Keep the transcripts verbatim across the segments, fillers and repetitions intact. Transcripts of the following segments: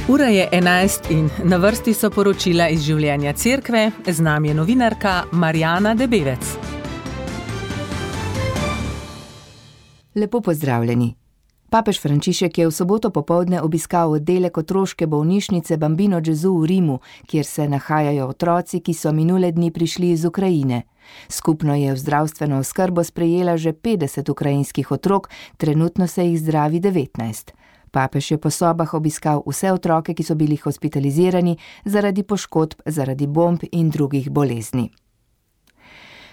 Ura je enajst in na vrsti so poročila iz življenja cerkve, z nami je novinarka Marjana Debevec. Lepo pozdravljeni. Papež Frančišek je v soboto popoldne obiskal oddelek otroške bolnišnice Bambino Gesù v Rimu, kjer se nahajajo otroci, ki so minule dni prišli iz Ukrajine. Skupno je v zdravstveno oskrbo sprejela že petdeset ukrajinskih otrok, trenutno se jih zdravi devetnajst. Papež je po sobah obiskal vse otroke, ki so bili hospitalizirani zaradi poškodb, zaradi bomb in drugih bolezni.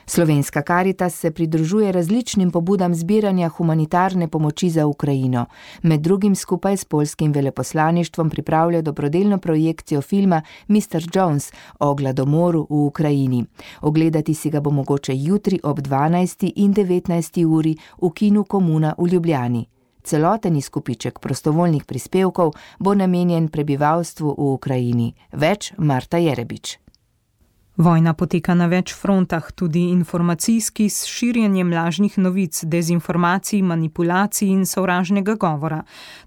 Slovenska Karitas se pridružuje različnim pobudam zbiranja humanitarne pomoči za Ukrajino. Med drugim skupaj s poljskim veleposlaništvom pripravlja dobrodelno projekcijo filma mister Jones o gladomoru v Ukrajini. Ogledati si ga bo mogoče jutri ob dvanajsti in devetnajsti uri v kinu Komuna v Ljubljani. Celoten izkupiček prostovoljnih prispevkov bo namenjen prebivalstvu v Ukrajini. Več Marta Jerebič. Vojna poteka na več frontah, tudi informacijski, s širjenjem lažnih novic, dezinformacij, manipulacij in sovražnega govora.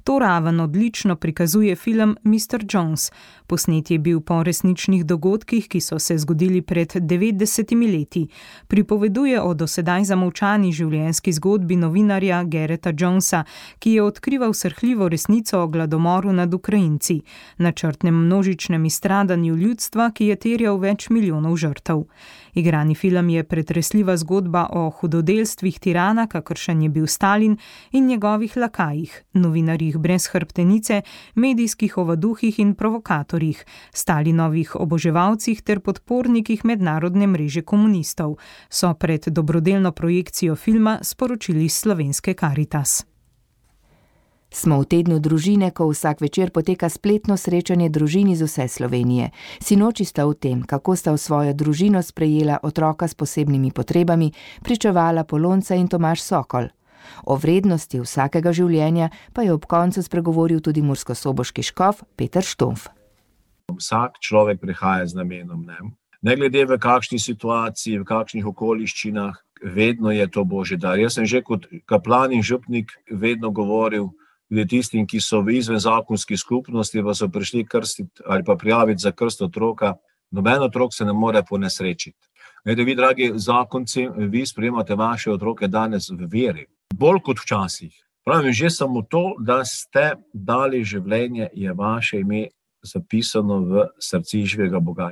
To raven odlično prikazuje film mister Jones. Posnet je bil po resničnih dogodkih, ki so se zgodili pred devetdesetimi leti. Pripoveduje o dosedaj zamolčani življenjski zgodbi novinarja Garretta Jonesa, ki je odkrival srhljivo resnico o gladomoru nad Ukrajinci, načrtnem množičnem izstradanju ljudstva, ki je terjal več milijonov žrtev. Igrani film je pretresljiva zgodba o hudodelstvih tirana, kakršen je bil Stalin, in njegovih lakajih, novinarjih brez hrbtenice, medijskih ovaduhih in provokatorjih, Stalinovih oboževalcih ter podpornikih mednarodne mreže komunistov, so pred dobrodelno projekcijo filma sporočili Slovenske Karitas. Smo v tednu družine, ko vsak večer poteka spletno srečanje družin iz vse Slovenije. Sinoči sta v tem, kako sta v svojo družino sprejela otroka s posebnimi potrebami, pričevala Polonca in Tomaž Sokol. O vrednosti vsakega življenja pa je ob koncu spregovoril tudi murskosoboški škof Peter Štumf. Vsak človek prihaja z namenom, ne? Ne glede v kakšni situaciji, v kakšnih okoliščinah, vedno je to Božji dar. Jaz sem že kot kaplan in župnik vedno govoril, tudi tistim, ki so v izvenzakonski skupnosti, pa so prišli krstiti ali pa prijaviti za krst otroka, noben otrok se ne more ponesrečiti. Glede, vi, dragi zakonci, vi sprejemate vaše otroke danes v veri, bolj kot včasih. Pravim, že samo to, da ste dali življenje, je vaše ime zapisano v srci živega Boga.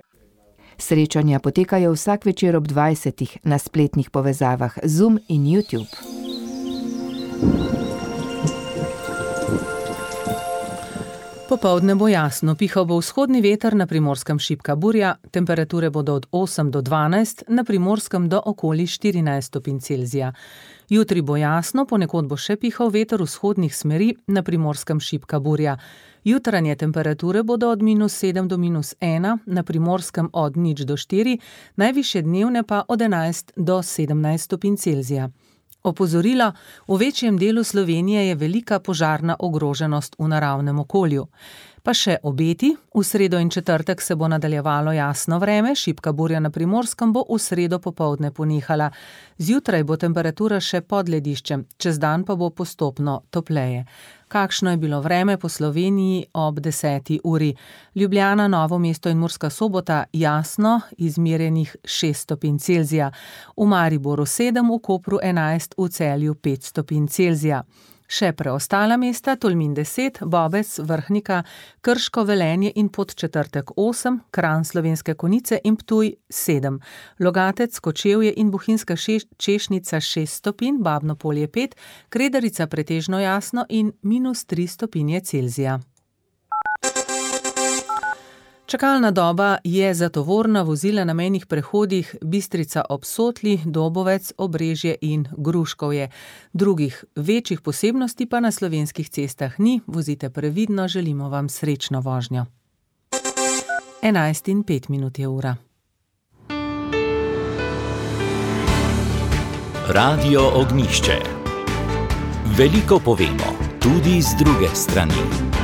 Srečanja potekajo vsak večer ob dvajsetih na spletnih povezavah Zoom in YouTube. Popoldne bo jasno, pihal bo vzhodni veter, na Primorskem šibka burja, temperature bodo od osem do dvanajst, na Primorskem do okoli štirinajst stopinj Celzija. Jutri bo jasno, ponekod bo še pihal veter vzhodnih smeri, na Primorskem šibka burja. Jutranje temperature bodo od minus sedem do minus ena, na Primorskem od nič do štiri, najvišje dnevne pa od enajst do sedemnajst stopinj Celzija. Opozorilo, v večjem delu Slovenije je velika požarna ogroženost v naravnem okolju. Pa še obeti, v sredo in četrtek se bo nadaljevalo jasno vreme, šibka burja na Primorskem bo v sredo popoldne ponehala. Zjutraj bo temperatura še pod lediščem, čez dan pa bo postopno topleje. Kakšno je bilo vreme po Sloveniji ob deseti uri? Ljubljana, Novo mesto in Murska Sobota jasno, izmerjenih šest stopinj Celzija. V Mariboru sedem, v Kopru enajst, v Celju pet stopinj Celzija. Še preostala mesta, Tolmin deset, Bobec, Vrhnika, Krško, Velenje in Podčetrtek osem, Kranj, Slovenske Konjice in Ptuj sedem, Logatec, Kočevje in Bohinjska Češnica šest stopinj, Babno Polje pet, Kredarica pretežno jasno in minus tri stopinje Celzija. Čakalna doba je za tovorna vozila na mejnih prehodih Bistrica ob Sotli, Dobovec, Obrežje in Gruškovje. Drugih večjih posebnosti pa na slovenskih cestah ni, vozite previdno, želimo vam srečno vožnjo. enajst in pet minut je ura. Radio Ognjišče. Veliko povemo, tudi z druge strani.